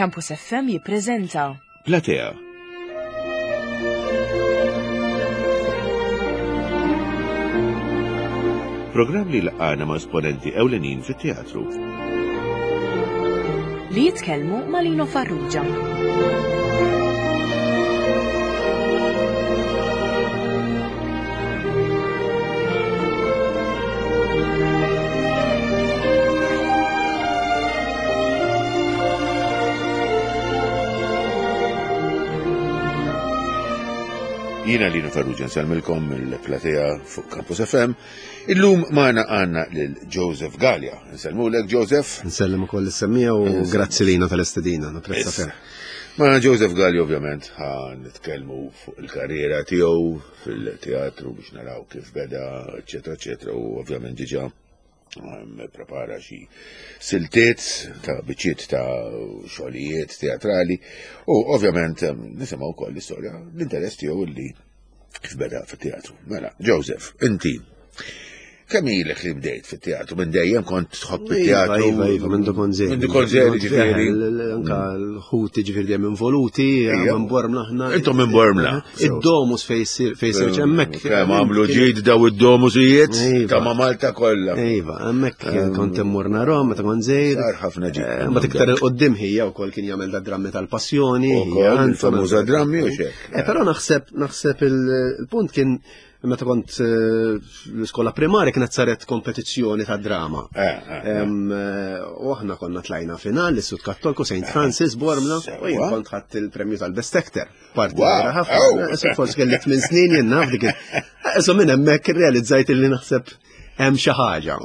Campus FM jippreżenta Platea. Programm li laqgħana ma' esponenti ewlenin fit-teatru. Li jitkellmu ma' Lino Farrugia. Jiena Lino Farrugia nsellmilkom mill-platea fuq Campus FM. Illum magħna għandna lil Joseph Gallia. Nsellmulek Joseph. Nsellem ukoll is-semmija u grazzi Lino tal-istedina, napprezza ferm. Ma Joseph Gallia ovvjament ħa nitkellmu fuq il-karriera tiegħu fil-teatru biex naraw kif beda, eċetera, eċetera, u ovvjament diġà prepara xi siltiet ta' biċċiet ta' xogħlijiet teatrali u ovvjament nisimgħu wkoll l-istorja l-interess tiegħu li kif beda fit-teatru. Mela, Joseph, inti Kemm ilek li bdejt fit-teatru? Minn dejjem kont tħobb it-teatru? Iva, iva, minn kont żgħir. Minn kont żgħir ġifieri. Anka l-ħuti ġifieri dejjem involuti, minn Bormla aħna. Intom minn Bormla. Id-domus fejn jsir fejn jsir hemmhekk. Kemm għamlu ġid daw id-domusijiet Iva. ta' ma' Malta kollha. Iva, hemmhekk kont immur narhom meta kont żgħir. Sar ħafna ġid. Eh, Mbagħad iktar il-qoddim ħija wkoll kien jagħmel da drammi tal-passjoni. Ukoll il-famuża drammi u xek. Eh, Però naħseb naħseb il-punt kien Meta kont eh, l-iskola primarja kienet saret kompetizzjoni ta' drama. Eh, eh, u aħna konna tlajna final l-Istitut Kattolku St. Francis Bormla u jien kont ħadd il-premju tal-Best Actor. Parti ħafna. Forsi kelli tmien snin jien naf dik. So minn hemmhekk irrealizzajt li naħseb hemm xi ħaġa.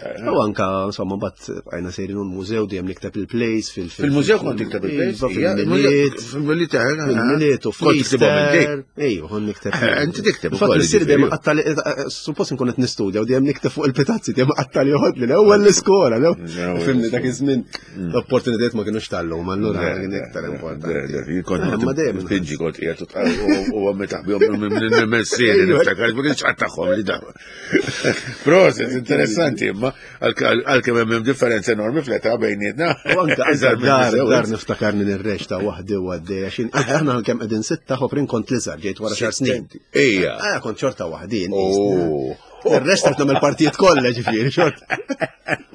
U anka, insomma, bat għajna sejrin un mużew dejjem nikteb il-plays fil- Fil-mużew kont tikteb il-plays? Iva, fil-miliet. Fil-miliet, eh, eh, Fil-miliet u fl-Easter. Ejju, kont nikteb. Eh, inti tikteb Fatt missieri dejjem qattali, suppost nkun qed nistudja u dejjem nikteb fuq il-pitazzi, dejjem qattali joħodli l-ewwel l-iskola, Fimni dak iż-żmien mm. l-opportunitajiet ma kienux tal-lum, allura kien iktar importanti. Kont ma dejjem pinġi kont qiegħed u għammi taħbihom minn missieri niftakar, ma kienx qatt tagħhom li daw. Proset, interessanti, imma għalkemm hemm differenza enormi fl-età bejnietna. U anke dar, dar niftakarni nirrex ta' waħdi u għaddej, għax aħna kemm qegħdin sitta ħoprin kont l-iżgħar ġejt wara xar snin. Ejja. Ah, kont xorta waħdi. Oh. Ir-rest qed nagħmel partijiet kollha ġifieri xort.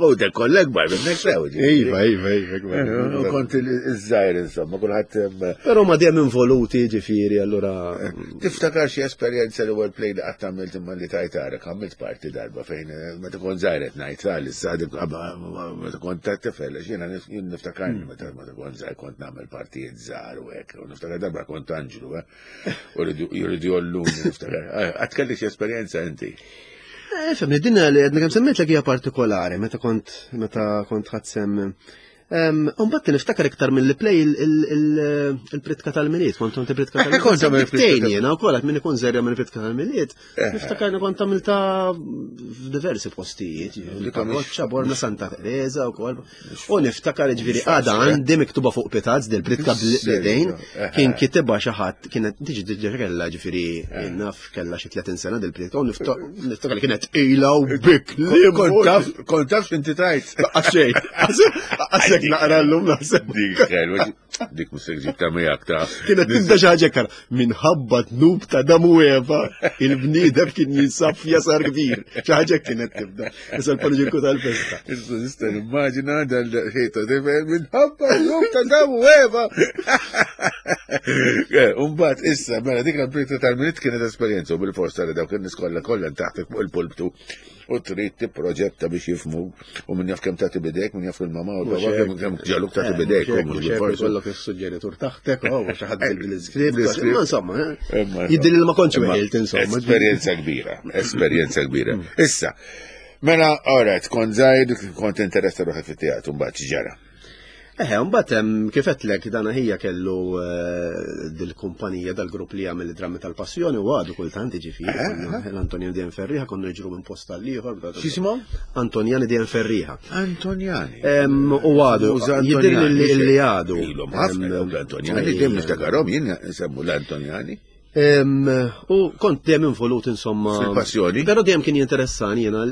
U dek kollha kbar minnek sew. Iva, iva, iva. Eh, u kont iż-żgħir insomma, kulħadd. Però ma dejjem involuti ġifieri allura. Eh, tiftakar xi esperjenza li word play li qatt għamilt imma li tajt għarek, għamilt parti darba fejn eh, meta kont żgħir qed ngħid għal issa meta kont ta' tifel għax jiena niftakarni hmm. meta meta kont żgħir kont nagħmel partijiet żgħar u hekk, u niftakar darba kont anġlu, eh, u jridu jolluni niftakar. Qatt kelli xi esperjenza inti? Eh, Femni, din li għedna kemm semmejt hija partikolari meta kont meta kont ħadd Umbat niftakar iktar mill play il-pritka tal-miliet, kont għamil pritka tal-miliet. Kont għamil pritka. Jena u kolat minn ikun zerja mill pritka tal-miliet. Niftakar li kont għamilta f'diversi postijiet, Parroċċa, Borna Santa Teresa u kol. U niftakar ġviri għada għandi miktuba fuq pitazz dil-pritka bl-idejn, kien kitibha xi ħadd kienet diġi diġi kella ġifieri naf Kella xi 30 sena dil-pritka u niftakar li kienet ila u bik li Kont taf, kont taf x'inti tajt. Għaxej, għasek naqra l-lum naħseb. Dik ħelwa, dik mhux se ġib ta' miegħek ta' Kienet tibda xi ħaġa kar minħabba dnub ta' Adam u Eva, il-bniedem kien jinsab f'jasar kbir. Xi ħaġa kienet tibda. Issa l-paniġirku tal-festa. Issa nista' nimmaġina dal-ħejta tifel minħabba dnub ta' Adam u Eva. Eh, Umbat, issa, mela dik l-amplita tal-minit kienet esperjenza u bil-forsa li dawk in-nies kollha kollha taħtek fuq il-pulptu u trid tipproġetta biex jifmu u min jaf kemm tagħti bidejk, min jaf il-mama u l-baba kemm kemm ġaluk tagħti eh, bidejk. U mhux bil-forsa. Kollok is-suġġeritur taħtek, u xi ħadd bil-iskript. Ma insomma, eh, jiddi li ma kontx weħilt insomma. Esperjenza kbira, esperjenza kbira. Mm. Issa, mela, alright, kont żgħir, kont interessa ruħek fit-teatru mbagħad ġara. Eħe, mbagħad hemm kif għedtlek dana ħija kellu eh, dil-kumpanija dal-grupp li jagħmel id-drammi tal-passjoni u għadu kultant jiġifieri l-Antonjani Dien Ferriħa konna niġru minn post għal ieħor. X'ismu? Antonjani Dien Ferriħa. Antonjani. U għadu, jidher li għadu. Ilhom ħafna l-Antonjani, dejjem niftakarhom jien nsemmu l-Antonjani. U kont dejjem involut insomma. Fil-passjoni. Però dejjem kien jinteressani jiena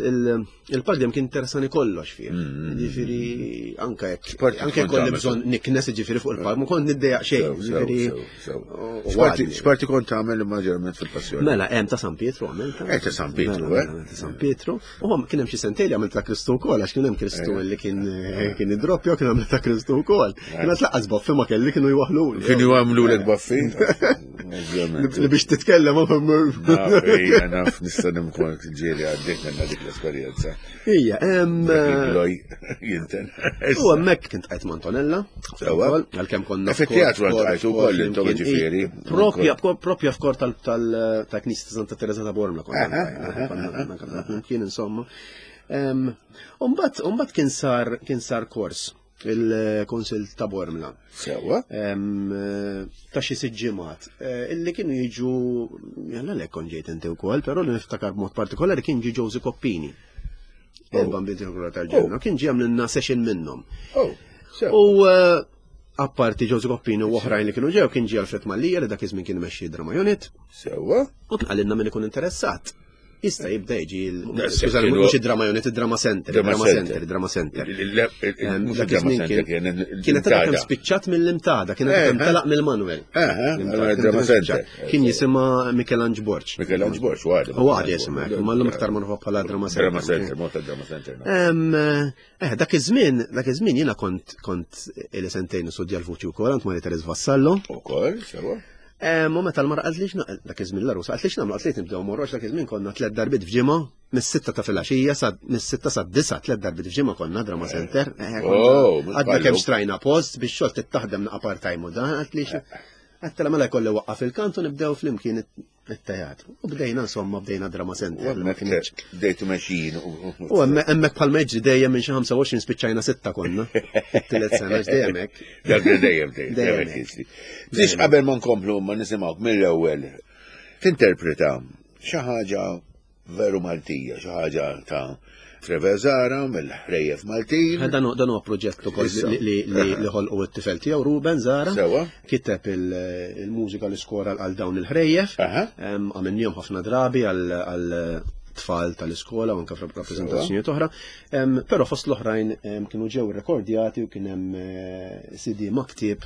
il-palk dejjem kien interessani kollox fih. Mm. Ġifieri anke jekk anke kolli bżonn niknes ġifieri fuq il-palk, ma kont niddejjaq xejn. Ġifieri. X'parti kont tagħmel maġġorment fil-passjoni? Mela hemm ta' San Pietru għamel. Eh ta' San Pietru, mela, eh. Mela, ta' San Pietru. U kien hemm xi sentejn li għamilt ta' Kristu wkoll għax kien hemm Kristu eh. li kien eh, kien idroppja kien għamilt ta' Kristu wkoll. Kien laqqas baffi ma kelli kienu jwaħlu. Kienu jagħmlu lek baffi? Li biex titkellem Ija, naf nista' nimkun ġieli għaddejt minna dik l-esperjenza. Ija, hemm. Jinten. U hemmhekk kien tqajt Antonella. Sewwa. Għalkemm konna. Fit-teatru għajtu wkoll intom ġifieri. Propja propja f'kor tal-Knisja ta' Santa Teresa ta' Bormla konna. Kien insomma. Umbat kien sar kien sar kors il-Konsil ta' Bormla. Sewa. Ta' xi sitt ġimgħat. Eh, illi kienu jiġu, jalla lek kon ġejt inti wkoll, però li niftakar b'mod partikolari kien ġi Josie Koppini. Oh. Il-bambin tiegħu tal-ġenna. Oh. Kien ġi għamlilna session minnhom. Oh, u eh, apparti Josie Koppini u oħrajn li kienu ġew kien ġi Alfred Mallia li dak iż-żmien kien imexxi Drama Unit. Sewa. U kien qalilna min ikun interessat. Jista' jibda jiġi skużani, mhux id-drama unit, id-drama center, drama center, drama center. Dak iż-żmien kienet għadha kemm spiċċat mill-imtada, kienet kemm eh, telaq mill-Manuel. Eh, drama center. Kien jisimha Michelangelo Borg. Michelangelo Borg, għadu. U għadu jisimha, imma llum iktar magħrufa bħala drama center. Drama center, mota drama center. Eh, dak iż-żmien, dak iż-żmien jiena kont kont ili sentejn nistudja l-vuċi wkoll għand Maria Teres Vassallo. Ukoll, sewa. Eh, ma meta l-mara qalt li dak iż-żmien l-arusa qalt li x'nagħmlu qalt li nibdew morru għax dak iż-żmien konna tliet darbiet f'ġimgħa mis-sitta ta' filgħaxija sa mis-sitta sa disa tliet darbiet f'ġimgħa konna drama center. Eh, oh, għadna kemm xtrajna post biex xogħol tittaħdem naqa' part-time u dan qalt li għattela mela jkolli waqqaf il-kantu nibdew flimkien it-teatru. U bdejna insomma bdejna drama center. Bdejtu mexjin. U hemmhekk bħal meġri dejjem minn xi 25 spiċċajna sitta konna. Tielet sena dejjem hekk. Dak dejjem dejjem jiġri. Biex qabel ma nkomplu ma nisimgħuk mill-ewwel tinterpreta xi ħaġa veru Maltija, xi ħaġa ta' Trevor Zara mill-ħrejjef Maltin. Eh, dan huwa proġett ukoll li ħolqu t-tifel tiegħu Ruben Zara. Kiteb il-mużika li skora għal dawn il-ħrejjef. Għamilniehom ħafna drabi għal tfal tal-iskola u anke f'rappreżentazzjonijiet oħra. Però fost l-oħrajn kienu ġew irrekordjati u kien hemm eh, CD ma' ktieb.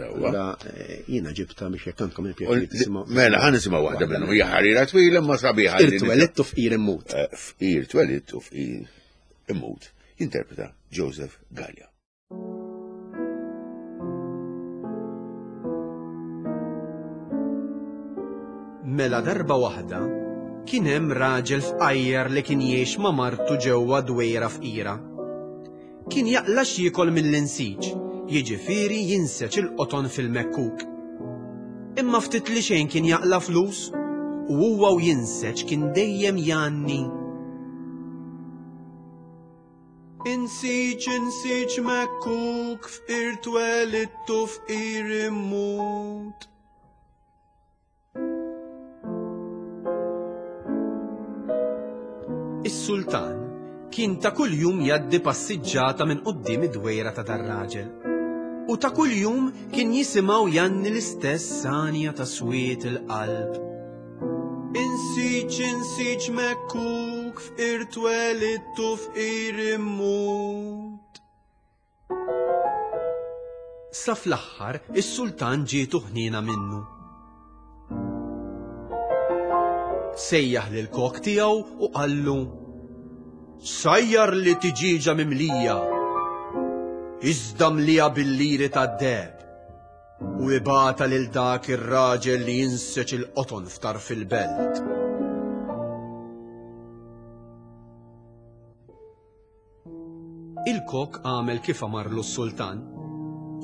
Allura eh, jiena ġibta biex jekk għandkom il-pjaċir tisimgħu. Mela ħa nisimgħu waħda minnhom hija ħarira twila ma sabiħa. Fqir twelidt u fqir immut. Eh, fqir twelidt u fqir immut. Interpreta Joseph Gallia. Mela darba waħda kien hemm raġel fqajjar li kien jgħix ma' martu ġewwa dwejra fqira. Kien jaqla' x'jiekol mill-insiġ, jiġifieri jinseġ il-qoton fil-mekkuk. Imma ftit li xejn kien jaqla' flus u huwa u jinseġ kien dejjem jgħanni. Insiġ, insiġ mekkuk, fqir twelidt u fqir immut. Is-sultan kien ta' kuljum jgħaddi passiġġata minn quddiem id-dwejra ta' dar-raġel. U ta' kuljum kien jisimgħu jgħanni l-istess għanja ta' swied il-qalb. Insiġ, insiġ mekkuk, fqir twelidt u fqir immut. Sa fl-aħħar is-sultan ġietu ħniena minnu. Sejjaħ lill-kok tiegħu u qallu, Sajjarli tiġieġa mimlija, iżda mliha bil-liri tad-deheb. U ibgħatha lil dak ir-raġel li jinseġ il-qoton f'tarf il-belt. Il-kok għamel kif amarlu s-sultan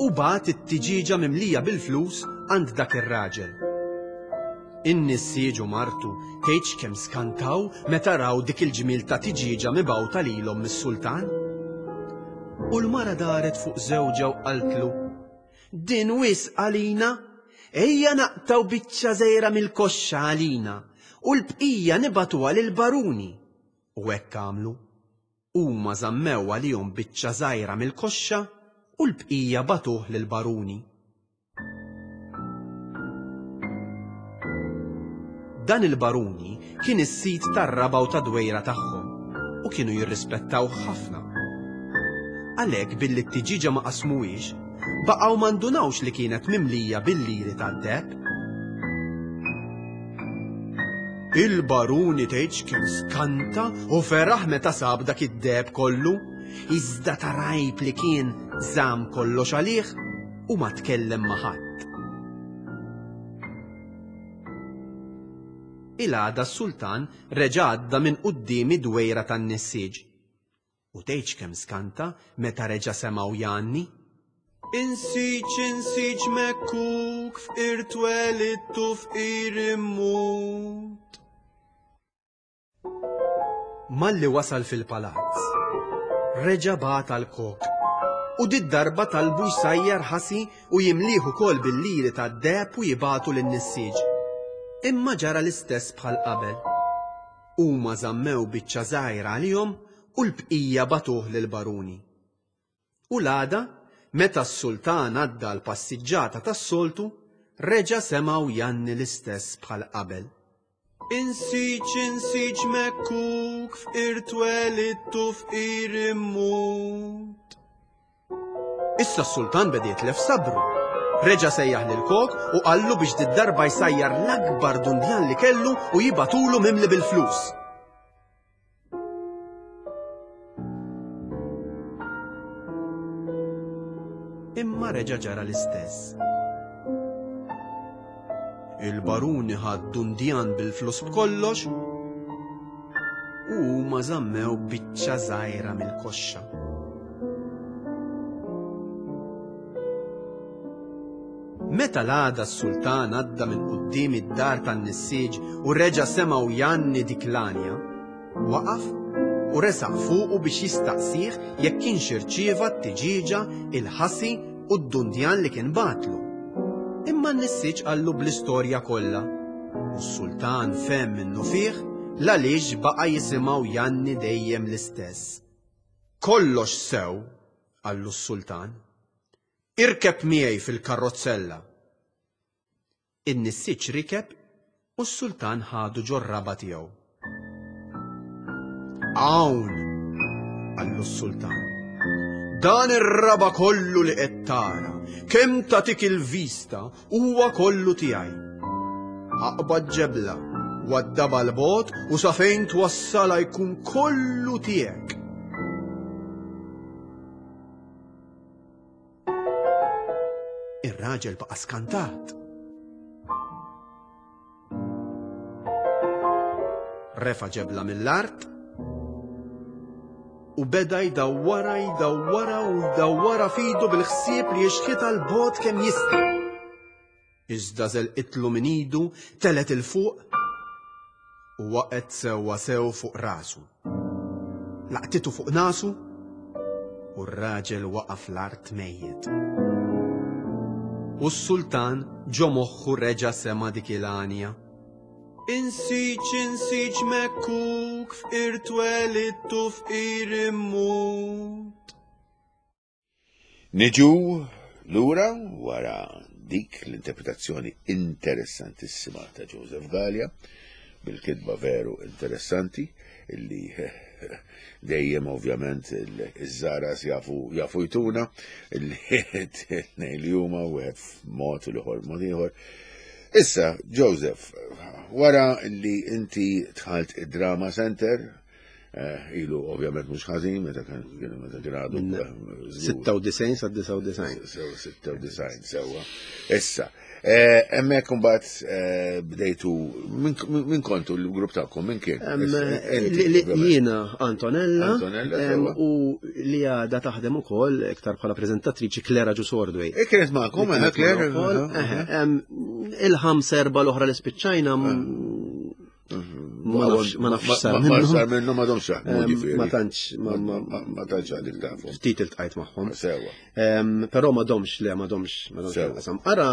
u bagħat it-tiġieġa mimlija bil-flus għand dak ir-raġel. In-nissieġ u martu tgħidx kemm skantaw meta raw dik il-ġmiel ta' tiġieġa mibgħuta lilhom mis-sultan. U l-mara daret fuq żewġha u qaltlu, Din wisq għalina! Ejja naqtgħu biċċa żgħira mill-koxxa għalina u l-bqija nibagħtuha lill-baruni. U hekk għamlu. Huma żammew għalihom biċċa żgħira mill-koxxa u l-bqija bagħtuh lill-baruni. Dan il-baruni kien is-sid tar-raba' u tad-dwejra tagħhom u kienu jirrispettawh ħafna. Għalhekk billi t-tiġieġa ma qasmuhiex, baqgħu ma ndunawx li kienet mimlija bil-liri tad-deheb. Il-baruni tgħidx kemm skanta u feraħ meta sab dak id-deheb kollu, iżda ta' rgħib li kien żamm kollox għalih u ma tkellem ma' ħadd. Il-għada s-sultan reġa' għadda minn quddiem id-dwejra tan-nissieġ. U tgħidx kemm skanta meta reġa' semgħu jgħanni. Insiġ, insiġ mekkuk, fqir twelidt u fqir immut. Malli wasal fil-palazz, reġa' bagħat għall-kok u did-darba talbu jsajjar ħasi u jimlih ukoll bil-liri tad-deheb u jibagħtu lin-nissieġ. Imma ġara l-istess bħal qabel. Huma żammew biċċa żgħira għalihom u l-bqija bagħtuh lill-baruni. U l-għada, meta s-sultan għadda għall-passiġġata tas-soltu, reġa' semgħu jgħanni l-istess bħal qabel. Insiġ, insiġ mekkuk, fqir twelidt u fqir immut. Issa s-sultan beda jitlef sabru. Reġa' sejjaħ lill-kok u qallu biex did-darba jsajjar l-akbar dundjan li kellu u jibagħtulu mimli bil-flus. Imma reġa' ġara l-istess. Il-baruni ħa dundjan bil-flus b'kollox u huma żammew biċċa żgħira mill-koxxa. Meta l-għada s-sultan għadda minn quddiem id-dar tan-nissieġ u reġa' semgħu jgħanni dik l-għanja, waqaf u resaq fuqu biex jistaqsih jekk kienx irċieva t-tiġieġa, il-ħasi u d-dundjan li kien bagħatlu. Imma n-nissieġ qallu bl-istorja kollha u s-sultan fehem minnufih l-għaliex baqa' jisimgħu jgħanni dejjem l-istess. Kollox sew, qallu s-sultan. Irkeb miegħi fil-karrozzella. In-nissieġ rikeb u s-sultan ħadu ġor-raba' tiegħu. Hawn, qallu s-sultan, dan ir-raba' kollu li qed tara, kemm tagħtik il-vista, huwa kollu tiegħi. Aqbad ġebla, waddabha 'l bogħod u sa fejn twassalha jkun kollu tiegħek. Ir-raġel baqa' skantat. Refa' ġebla mill-art u beda jdawwara jdawwara u jdawwara f'idu bil-ħsieb li jixħitha 'l bogħod kemm jista'. Iżda żelqitlu minn idu, telgħet 'il fuq u waqgħet sewwa sew fuq rasu. Laqtitu fuq nasu u r-raġel waqa' fl-art mejjet. U s-sultan ġo moħħu reġa' sema' dik il-għanja. Insiġ, insiġ mekkuk, fqir twelidt u fqir immut. Niġu lura wara dik l-interpretazzjoni interessantissima ta' Joseph Galea bil-kitba veru interessanti illi dejjem ovvjament iż-żaras jafu jafu jtuna illi tnejn li huma wieħed f'mod u l-ieħor mod ieħor. Issa, Joseph, wara li inti dħalt id-Drama Center, Eh, ilu ovvjament mhux ħażin meta kien meta kien għadu. 96 sa 99. 96 sewwa. Issa, eh, hemmhekk imbagħad eh, bdejtu minn kontu l-grupp tagħkom minn kien? Jiena Antonella u li għadha taħdem ukoll iktar bħala preżentatriċi Klera Ġusordwej. E kienet magħkom, Klera. Il-ħams erba' l-oħra li spiċċajna Ma nafx ma nafx sar minnu. Sar minnu ma domx jaħdmu ġifieri. Ma tantx ma tantx għadik tafu. Ftit iltqajt magħhom. Sewa. Però ma domx le ma domx ma domx qasam. Ara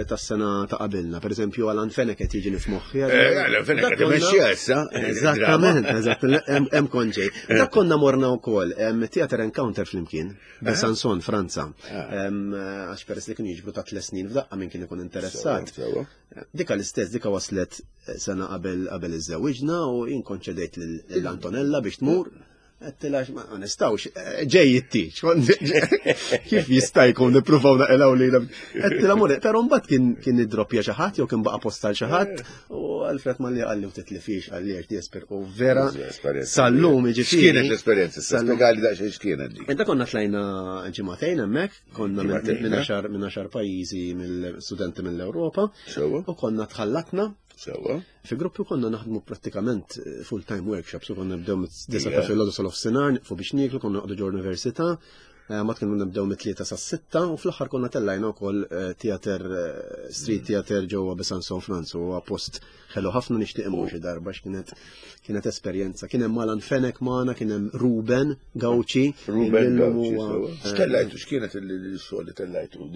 tas-sena ta' qabilna, pereżempju Alan Fenech qed jiġi f'moħħi. Eh, Alan Fenech qed imexxi issa. Eżattament, eżatt, hemm konġej. Eh. Dak konna morna wkoll Theater Encounter flimkien, eh. Sanson, Franza. Għax peress li kienu jiġbru ta' tliet snin f'daqqa minn kien ikun interessat. Dika l-istess, dika waslet eh, sena qabel qabel iżżewwiġna u jien konċedejt lil Antonella biex tmur. Għedtilha ma nistgħux, eh, ġej it-tiġ. Kif jista' jkun nippruvaw naqilgħu lilha. Għedtilha mur, però mbagħad kien kien idroppja xi ħadd jew kien baqa' posta għal xi ħadd u Alfred Mallia qalli u titlifix qalli għax di esper u vera sal-lum jiġifieri. X'kienet l-esperjenza? Spjegali daqsxejn x'kienet di. Inta konna tlajna ġimagħtejn hemmhekk, konna minn għaxar minn għaxar pajjiżi mill-studenti mill-Ewropa. U konna tħallatna. Sewwa. Fi gruppi konna naħdmu prattikament eh, full-time workshops, u konna nibdew mit-disa ta' filgħodu sal-offsinar, nieqfu biex nieklu, konna noqogħdu ġol università, eh, ma kienu nibdew mit-tlieta sas-sitta u fl-aħħar konna tellajna wkoll eh, theater street mm. theater ġewwa Besançon Franza huwa post ħelu ħafna nixtieq imur xi darba x'kienet kienet esperjenza. Kien hemm Alan Fenek magħna, kien hemm Ruben Gauci. Ruben Gauci. X'tellajtu x'kienet il-xogħol li tellajtu?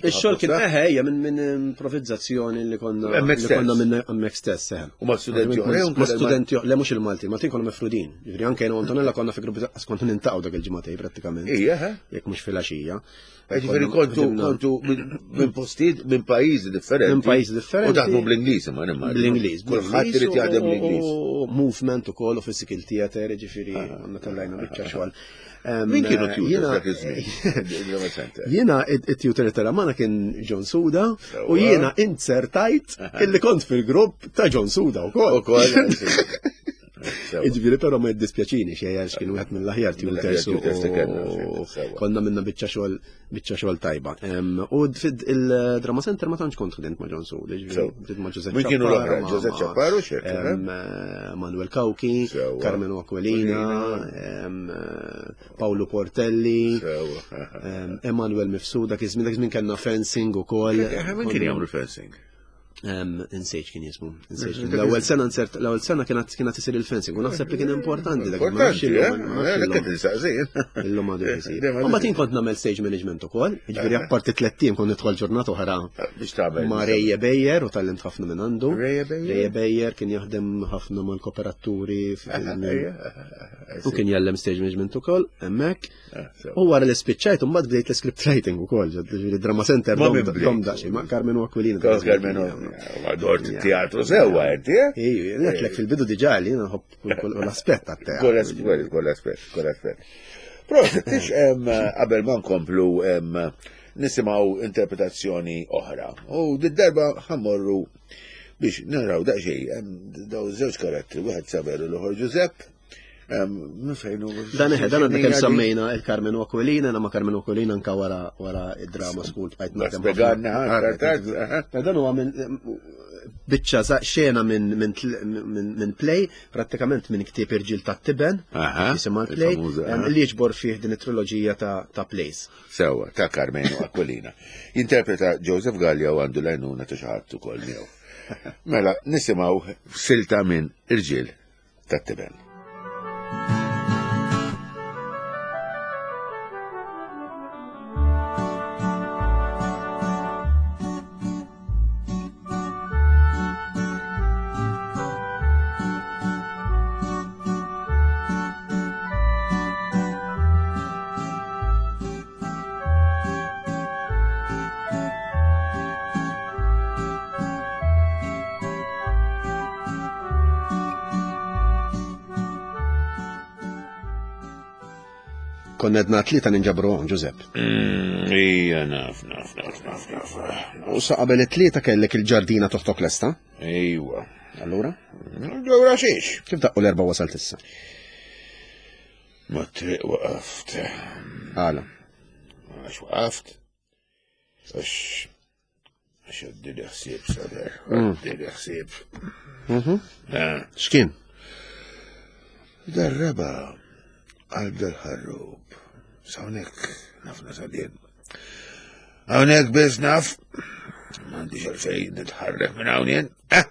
Ix-xogħol kien eħe hija minn improvizzazzjoni li konna li konna minn hemmhekk stess eħe. U ma' studenti oħra? Ma' studenti le mhux il-Malti, Maltin konna mifrudin. Jiġifieri anke jiena Antonella konna fi gruppi konna nintaqgħu dak il-ġimgħatej prattikament. Ija, Jekk mhux filgħaxija. Ġifieri kontu kontu minn postijiet minn pajjiżi differenti. Minn pajjiżi differenti. U taħdmu bl-Ingliż imma nimma. Bl-Ingliż. Kulħadd irid jaħdem bl-Ingliż. Movement ukoll u physical theater, ġifieri ah. għandna tellajna biċċa xogħol. Min kienu tutors dak iż-żmien? Jiena it-tutor tal-Amana kien John Suda u jiena inzertajt illi kont fil-grupp ta' John Suda wkoll. Ukoll. Iġviri, pero ma jiddispjaċini xej għax kien wieħed mill-aħjar tutors konna minna biċċa xogħol biċċa xogħol tajba. U il-Drama Center ma tantx kont ħdimt ma' John Sud, ġifieri ma' Giuseppe. Min kienu l-oħra? Giuseppe Ċapparu xek? Manuel Cauchi, Carmelo Aquilina, Paolo Portelli, Emanuel Mifsud, dak iż-żmien dak iż-żmien kellna fencing ukoll. Min kien jagħmlu fencing? Insejt kien jismu. L-ewwel sena nsert, l-ewwel sena kienet kienet isir il-fencing u naħseb li kien importanti dak. Importanti, eh? Illum għadu jsir. Imbagħad jien kont nagħmel stage management ukoll, jiġifieri apparti tliet tim kont nidħol ġurnata oħra. Biex tagħmel. Ma' Rejje Bejjer u tallimt ħafna minn għandu. Rejje Bejjer. Rejje Bejjer kien jaħdem ħafna mal-kooperaturi. U kien jgħallem stage management ukoll hemmhekk. Ah, u wara li spiċċajt, mbagħad bdejt l-script writing ukoll, ġifieri drama center dom daqsxejn, ma' Carmenu Aquilina. Carmenu, ma dort teatru sewwa inti, eh? Ejju, ngħidlek fil-bidu diġà li nħobb kull aspett tat-teatru. Kull aspett, kull aspett, kull aspett. Proset, tix qabel ma nkomplu nisimgħu interpretazzjoni oħra. U d-darba ħammorru biex naraw daqsxejn daw żewġ karattri, wieħed Saveru l-ieħor Giuseppe. Dan eħe, dan għadna kemm semmejna il-Carmenu Aquilina, ma Carmenu Aquilina anka wara wara id-drama school bqajt naħdem. Dan huwa minn biċċa xena minn minn play, prattikament minn ktieb Irġiel tat-Tiben, jisimha l-play, li jiġbor fih din it-triloġija ta' plays. Sewwa, ta' Carmenu Aquilina. Jinterpreta Joseph Gallia u għandu l-għajnuna ta' xi ħadd ukoll miegħu. Mela, nisimgħu silta minn Irġiel tat-tiben. Konna edna tlieta ninġabru hawn, Ġużepp. Mm, ija, naf, naf, naf, naf, naf. U sa qabel it-tlieta kellek il-ġardina toħtok lesta? Ejwa. Allura? Allura xiex? Kif daqqu l-erba wasalt issa? Ma triq waqaft. Għala. Għax waqaft. Għax għax għaddili ħsieb saber. Mm. Għaddili ħsieb. Mhm. Eh. X'kien? Darreba għal dal-ħarrub. Sawnek nafna sadien. Hawnhekk biss naf. M'għandix għalfejn nitħarrek minn hawn jien. Eh!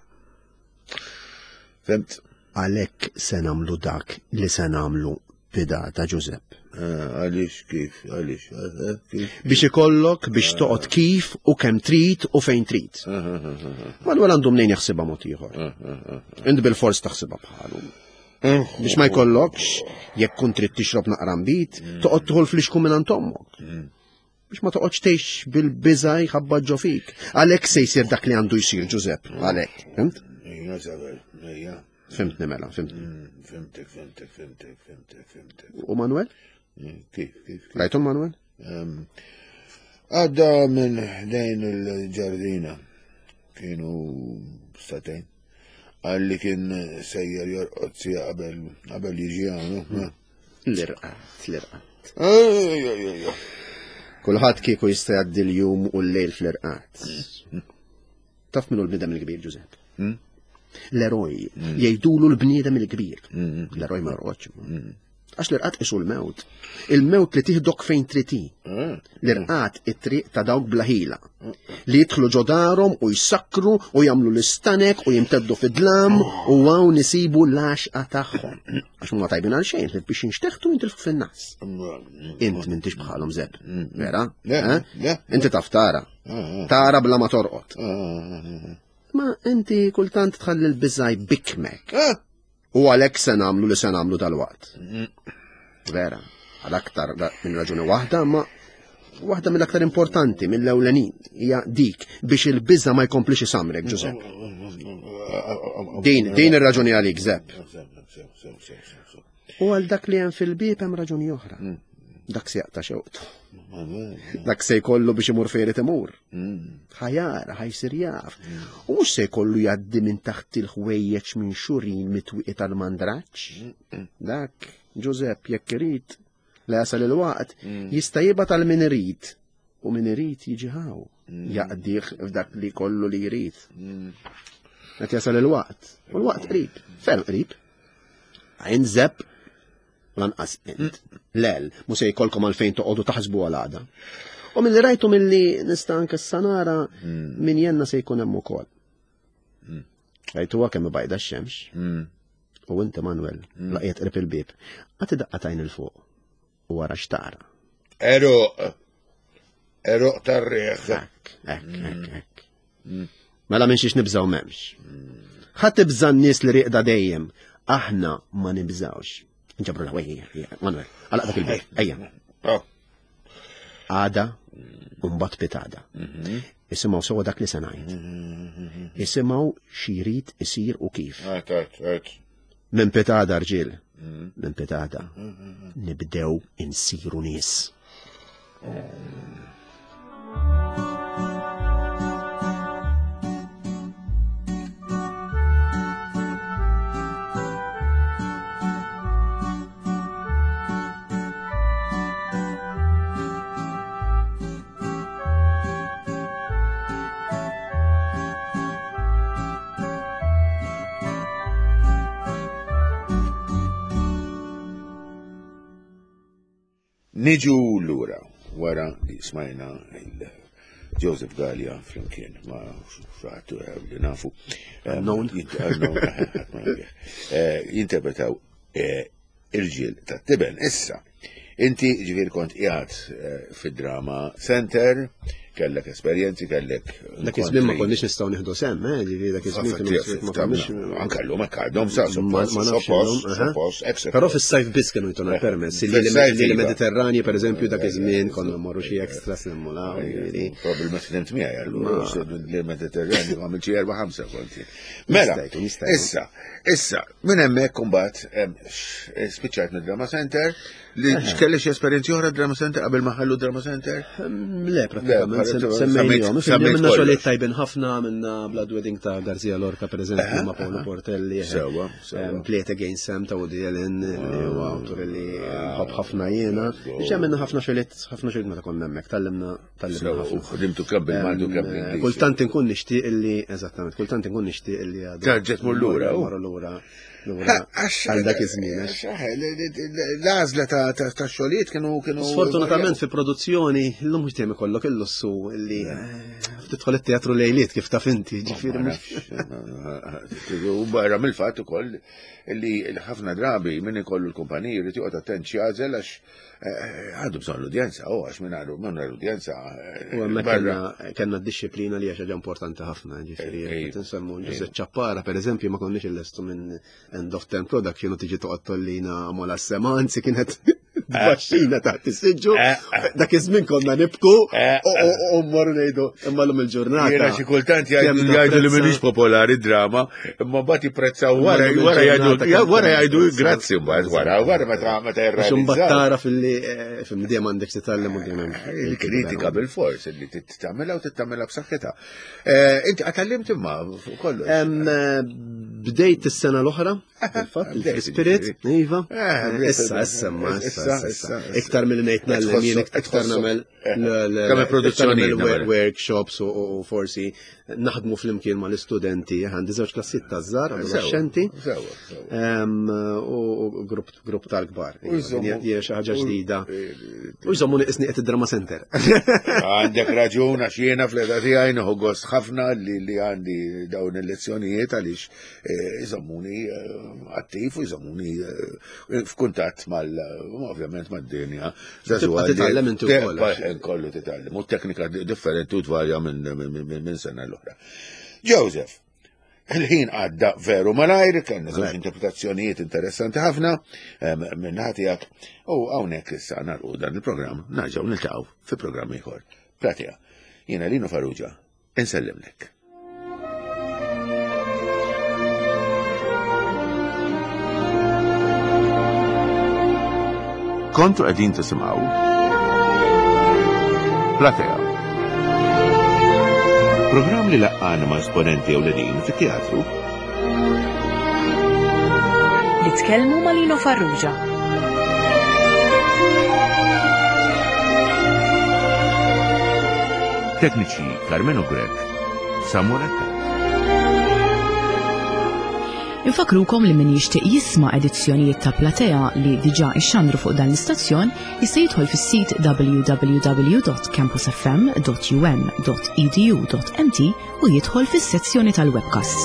Fimt? Għalhekk se nagħmlu dak li se nagħmlu bidata Ġużepp. Eh, għaliex kif, għaliex, eh, eh, kif. Biex ikollok biex toqgħod kif u kemm trid u fejn trid. Manuel għandu mnejn jaħsibha mod ieħor. Int bil-fors taħsibha bħalu. Biex ma jkollokx, jekk kun trid tixrob naqra nbid, mm. toqgħod tħol fl-ixku minn ommok. Mm. Biex ma toqgħodx tgħix bil-biża' jħabba ġo fik. Għalhekk se jsir dak li għandu jsir Ġużepp, għalhekk. Fimt? Ejja, Zabel, ejja. Fimtni mela, fimtni. Mm, fimtek, fimtek, fimtek, fimtek, fimtek. U Manuel? Mm, kif, kif? Rajtu Manuel? Għadda minn dejn il-ġardina. Kienu statejn. Għalli kien sejjer jorqod sija qabel qabel jiġi hawn. Mm. L-irqat, l-irqat. Kulħadd kieku jista' jgħaddi l-jum u l-lejl fl-irqat. Taf minnu l-bniedem il-kbir, Ġużepp? Hmm? L-eroj, hmm. jgħidulu l-bniedem il-kbir. Hmm. L-eroj ma jorqodx. Għax l-irqat isu l-mewt. Il-mewt li tiħdok fejn triti. L-irqat it-triq ta' dawk blaħila. Li jidħlu ġodarhom u jsakkru u jagħmlu l-istanek u jimteddu fid-dlam u hawn isibu l-għaxqa tagħhom. Għax huma tajbin għal xejn, biex jinxteħtu jintilfu fin-nas. Int m'intix bħalhom Zeb. Vera? Eh? Inti taf tara. Tara bla ma torqod. Ma inti kultant tħalli l-biżaj bikmek. U għalhekk se nagħmlu li se nagħmlu dalwaqt. Vera, għal aktar minn raġuni waħda, ma waħda mill-aktar importanti, mill-ewlenin, hija dik biex il-biża ma jkomplix isamrek, Ġużepp. Din, din ir-raġuni għalik, Zepp. U għal dak li hemm fil-bieb hemm raġuni oħra. Mm. Dak se jaqta' xewqtu. Dak se jkollu biex imur fejn irid imur. Mm. Ħajara, ħajsir jaf. Mm. U mhux se jkollu jgħaddi minn taħt il-ħwejjeġ minn xurin mitwiqi tal-mandraġġ. Dak, Ġużepp, jekk irid, la jasal il-waqt, jista' jibgħat għal min irid u min irid jiġi ħaw mm. jaqdih f'dak li kollu li jrid. Mm. Qed jasal il-waqt, u l-waqt qrib, ferm qrib. Għajn zepp lanqas int. Mm. Lel, mu se jkollkom għalfejn toqgħodu taħsbu għal għada. U mill-li rajtu mill-li nista' anke sanara min jenna se jkun hemm ukoll. Rajtuha kemm bajda x-xemx. U inti Manuel, laqiet qrib il-bieb, għati daqqa tajn il-fuq u wara xtara. Eruq. Eruq tar-riħ. Ek, ek, ek, ek. Mm. Mela minn xiex nibżaw memx. Ħa tibża n-nies li riqda dejjem. Aħna ma nibżawx. Nġabru l Manuel, għalaq dak il-bib, ejja. Oh. Għada, mbagħad pitada. Mhm. Isimgħu sewa dak li se ngħid. Mhm. Isimgħu xi jrid isir u kif. Minn pitada rġiel, mm. minn pitada, mm-hmm. nibdew insiru nies. Niġu lura wara li smajna il Joseph Gallia flimkien ma' xaħat eh, li nafu. Eh, Unknown. Eh, jinterpretaw Irġiel tat-tiben. Issa, inti ġifieri kont qiegħed eh, fid-drama center, kellek esperjenzi, kellek. Dak iż-żmien ma konniex nistgħu nieħdu sem, eh, ġifieri dak iż-żmien kienu ma konniex. Anke llum hekk għadhom sa suppost, suppost, Però fis-sajf biss kienu jtuna eh, permess, li l-Mediterranji pereżempju dak iż-żmien konna mmorru xi extra semmulaw. Probabilment tnimt miegħi allura l-Mediterranju għamil xi erba' ħamsa konti. Mela, issa, issa, Minn hemmhekk imbagħad eh, spiċċajt mid-Drama Center li x'kelli xi esperjenzi oħra Drama Center qabel ma ħallu Drama Center? Ehm, le, pratikament semmejnihom. Minna xogħlijiet tajbin ħafna minna Blood Wedding ta' Garcia Lorca pereżempju ma' Paolo Portelli. Eh. Sewa, sewa. Ehm, Play It Again Sam ta' Woody Allen li huwa awtur li nħobb ħafna jiena. Ġa minna ħafna xogħlijiet ħafna xogħlijiet meta konna hemmhekk tallimna tallimna ħafna. U ħdimtu kemm bil-Malti u kemm bl-Ingliż. Kultant inkun nixtieq illi, eżattament, kultant inkun nixtieq illi għadu. Terġa' tmur lura. Marru lura. Għal dak iż-żmien. L-għażla ta' xogħlijiet kienu kienu. Sfortunatament fi produzzjoni llum mhux dejjem ikollok il-lussu illi eh, tidħol it-teatru lejliet kif taf inti, ġifieri. U barra mill-fatt ukoll li ħafna drabi min ikollu l-kumpaniji jrid joqgħod attent x'jagħżel għax eh, għandu bżonn l-udjenza, u għax minn għandu minn l-udjenza. Eh, u hemmhekk kellna d-disciplina li hija xi ħaġa importanti ħafna, ġifieri qed insemmu Ġużepp Ċappara pereżempju ma konniex illestu minn end of term production u tiġi toqgħod tollina mola sema, anzi kienet Baxxina taħt is-siġġu. Dak iż-żmien konna nibku u mmorru ngħidu imma llum il-ġurnata. Jiena xi kultant jgħidu li m'iniex popolari drama, imma mbagħad jipprezzaw wara wara jgħidu wara jgħidu grazzi mbagħad wara wara meta meta jirrealizzaw. Imbagħad tara fil-li fil-dejjem għandek titgħallem u dejjem. Il-kritika bil-fors li tagħmilha u tagħmilha b'saħħitha. Inti għatallimt imma fuq kollox. Bdejt is-sena l-oħra, fil-fatt, il-Spirit, iva. Issa, issa, ma, issa, issa. Iktar mill ngħid nagħllem jien iktar nagħmel Kemm produzzjoni workshops u forsi naħdmu flimkien mal-istudenti, għandi żewġ klassijiet ta' żgħar, adolescenti. U grupp tal-kbar. Hija xi ħaġa ġdida. U jżommu niqisni qed id-drama center. Għandek raġun għax jiena fl-età tiegħi nieħu gost ħafna li għandi dawn il-lezzjonijiet għaliex eh, jżommuni eh, attiv u jżommuni eh, f'kuntatt mal ovvjament mad-dinja. Titgħallem inti wkoll. Kollu titgħallem. U teknika differenti u tvarja minn sena l-oħra. Joseph, Il-ħin għadda veru malajr, kellna żewġ interpretazzjonijiet interessanti ħafna minn tiegħek u hawnhekk issa nagħlqu dan il-programm narġgħu niltaqgħu fi programm ieħor. Platea, jiena Lino Farrugia, insellimlek. Kontu qegħdin tisimgħu Platea. Programm li laqqana ma' esponenti ewlenin fit-teatru. Li tkellmu ma' Lino Farrugia. Tekniċi Carmenu Grech, Samuel Attard. Infakrukom li min jixtieq jisma' edizzjonijiet ta' Platea li diġà ixxandru fuq dan l-istazzjon jista' jidħol fis-sit www.campusfm.um.edu.mt u jidħol fis-sezzjoni tal-webcasts.